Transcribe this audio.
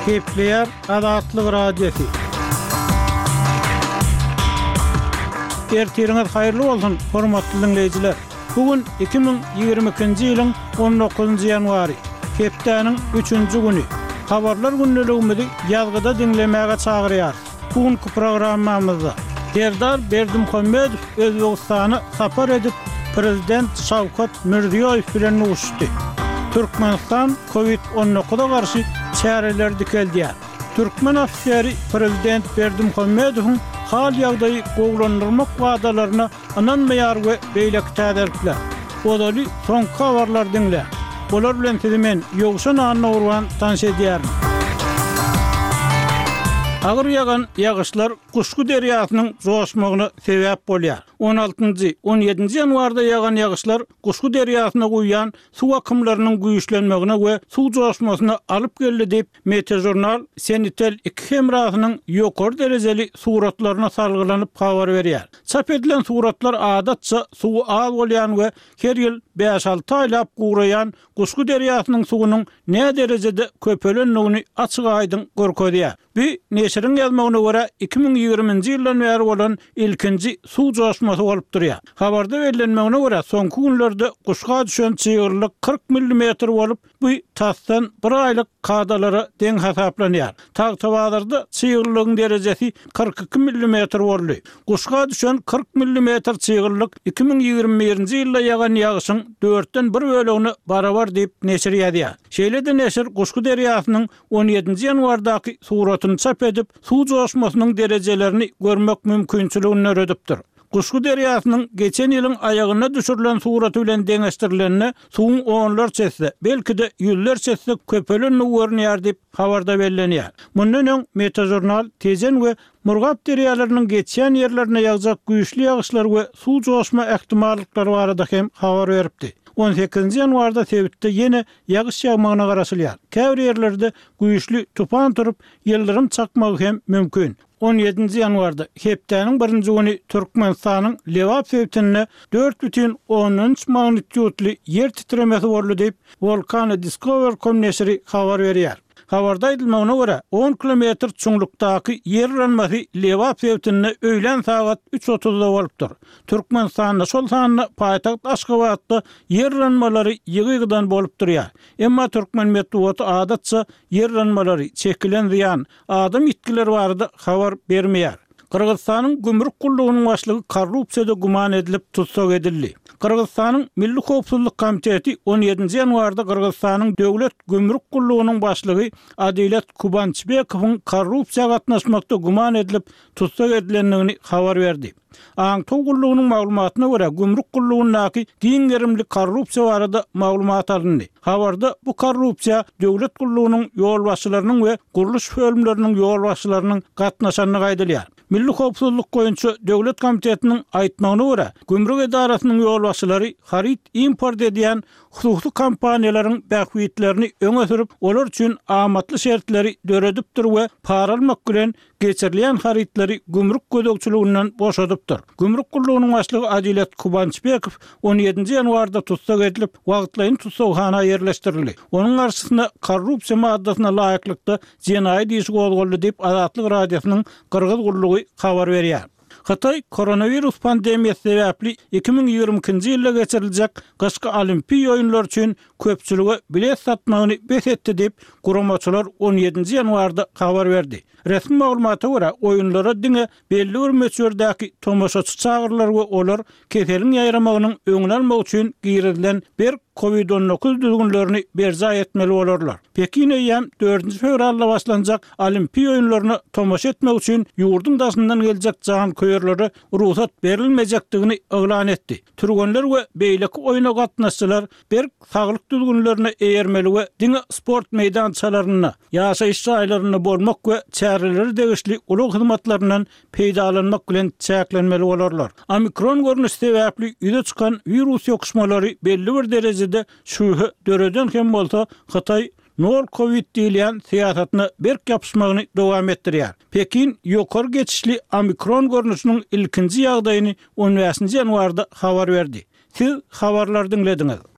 Gepleýär Azatlyk Radiosy. Ertiriňiz haýyrly bolsun, hormatly diňleýjiler! Bu gün 2022-nji ýylyň on dokuzynjy ýanwary, hepdäniň üçünji güni. Habarlar gündeligimizi ýazgyda diňlemäge çagyrýarys. Bu günki programmamyzda Serdar Berdimuhamedow Özbegistana sapar edip, prezident Şawkat Mirziýoýew bilen duşuşdy. Türkmenistan Covid 19-a garşy çäreleri dikeldýär. Türkmen ofiseri prezident Berdimuhamedowyň hal-ýagdaýy gowulandyrmak wadalaryna ynanmaýar we beýleki täzelikler. Ozaly soňky habarlary diňläň. Olar bilen sizi men, Ýowşan Annagurban tanyş edýärin. Agyr ýagan ýagyşlar Guşgy derýasynyň joşmagyna sebäp bolýar. On altynjy, on ýedinji ýanwarda ýagan ýagyşlar Guşgy derýasyna guýýan suw akymlarynyň güýçlenmegine we suw joşmasyna alyp geldi diýip, Metežurnal Senitel iki hemrasynyň ýokary derejeli suratlaryna salgylanyp habar berýär. Çap edilen suratlar adatça suwy az bolýan we her ýyl bäş-alty aýlap guraýan Guşgy derýasynyň suwunyň näderejede köpelendigini açyk-aýdyň görkezýär. Bu, neşiriň ýazmagyna görä, 2020-nji ýyldan bäri bolan ilkinji suw joşmasy bolup durýar. Habarda bellenmegine görä, soňky günlerde Guşga düşen çyglylyk 40 millimetr bolup, Bu tasdan bir aýlyk kadalara deň hasaplanýar. Tagtabazarda çyglylygyň derejesi 42 millimetr boldy. Guşga düşen 40 millimetr çyglylyk 2021-nji ýylda ýagan ýagyşyň dörtden bir bölegine barabar diýip, neşir ýazýar. Şeýle-de neşir Guşgy derýasynyň on ýedinji ýanwardaky suratyny çap edip, suw joşmasynyň derejelerini görmek mümkinçiligini döredipdir. Guşgy derýasynyň geçen ýylyň aýagynda düşürilen suraty bilen deňeşdirilende, suwuň onlarça esse, belki-de, ýüzlerçe esse köpelendigi görünýär diýip, habarda bellenýär. Mundan öň, Metažurnal Tejen we Murgap derýalarynyň geçýän ýerlerinde ýagjak güýçli ýagyşlar we suw joşma ähtimallyklary barada hem habar beripdi. On sekizinji ýanwarda sebitde ýene ýagyş ýagmagyna garaşylýar. Käbir ýerlerde güýçli tupan turup, ýyldyrym çakmagy hem mümkin. On ýedinji ýanwarda, hepdäniň birinji güni Türkmenistanyň Lebap sebitinde 4,3 magnitýudly ýer titremesi boldy diýip, Volcano Discover. Com neşiri habar berýär. Habarda aýdylmagyna görä, on kilometr çuňlukdaky ýer yranmasy Lebap sebitinde öýlän sagat üç otuzda bolupdyr. Türkmenistanda, şol sanda paýtagt Aşgabatda ýer yranmalary ýygy-ýygydan bolup durýar. Emma türkmen metbugaty adatça ýer yranmalary, çekilen zyýan, adam ýitgileri barada habar bermeýär. Gyrgyzystanyň gümrük gullugynyň başlygy korrupsiýada güman edilip tussag edildi. Gyrgyzystanyň Milli howpsuzlyk komiteti on ýedinji ýanwarda Gyrgyzystanyň Döwlet gümrük gullugynyň başlygy Adilet Kubançbekowyň korrupsiýa gatnaşmakda güman edilip tussag edilendigini habar berdi. Aňtaw gullugynyň maglumatyna görä, gümrük gullugyndaky giň gerimli korrupsiýa barada maglumat alyndy. Habarda bu korrupsiýa döwlet gullugynyň ýolbaşçylarynyň we gurluş bölümleriniň ýolbaşçylarynyň gatnaşandygy aýdylýar. Milli howpsuzlyk boýunça döwlet komitetiniň aýtmagyna görä, gümrük edarasynyň ýolbaşçylary haryt import edýän hususy kompaniýalaryň bähbitlerini öňe sürüp, olar üçin amatly şertleri döredipdir we para almak bilen geçirilýän harytlary gümrük gözegçiliginden boşadypdyr. Gümrük gullugynyň başlygy Adilet Kubançbekow on ýedinji ýanwarda tussag edilip, wagtlaýyn tussaghana ýerleşdirildi. Onuň garşysyna korrupsiýa maddasyna laýyklykda jenaýat işi gozgaldy diýip, Azatlyk Radiosynyň Gyrgyz gullugy habar berýär. Hytaý koronawirus pandemiýasy sebäpli 2022-nji ýylda geçiriljek gyşky Olimpiýa oýunlary üçin köpçülige bilet satmagyny bes etdi diýip, guramaçylar on ýedinji ýanwarda habar berdi. Resmi maglumata görä, oýunlara diňe belli bir möçberdäki tomaşaçy çagyrylar we olar keseliň ýaýramagynyň öňüni almak üçin girizilen berk Covid 19 düzgünlerini berjaý etmeli bolarlar. Pekin eýýäm dördünji fewralda başlanjak Olimpiýa oýunlaryna tomaşa etmek üçin ýurduň daşyndan geljek janköýerlere rugsat berilmejekdigini yglan etdi. Türgenler we beýleki oýna gatnaşyjylar berk saglyk düzgünlerine eýermeli we diňe sport meýdançalarynda, ýaşaýyş jaýlarynda bolmak we çärelere degişli ulag hyzmatlaryndan peýdalanmak bilen çäklenmeli bolarlar. Omikron görnüşi sebäpli ýüze çykan wirus ýokuşmalary belli bir derejede şübhe döreden hem bolsa, Hytaý nol kowid diýilýän syýasatyna berk ýapyşmagyny dowam etdirýär. Pekin ýokary geçişli omikron görnüşiniň ilkinji ýagdaýyny on bäşinji ýanwarda habar berdi. Siz habarlary diňlediňiz.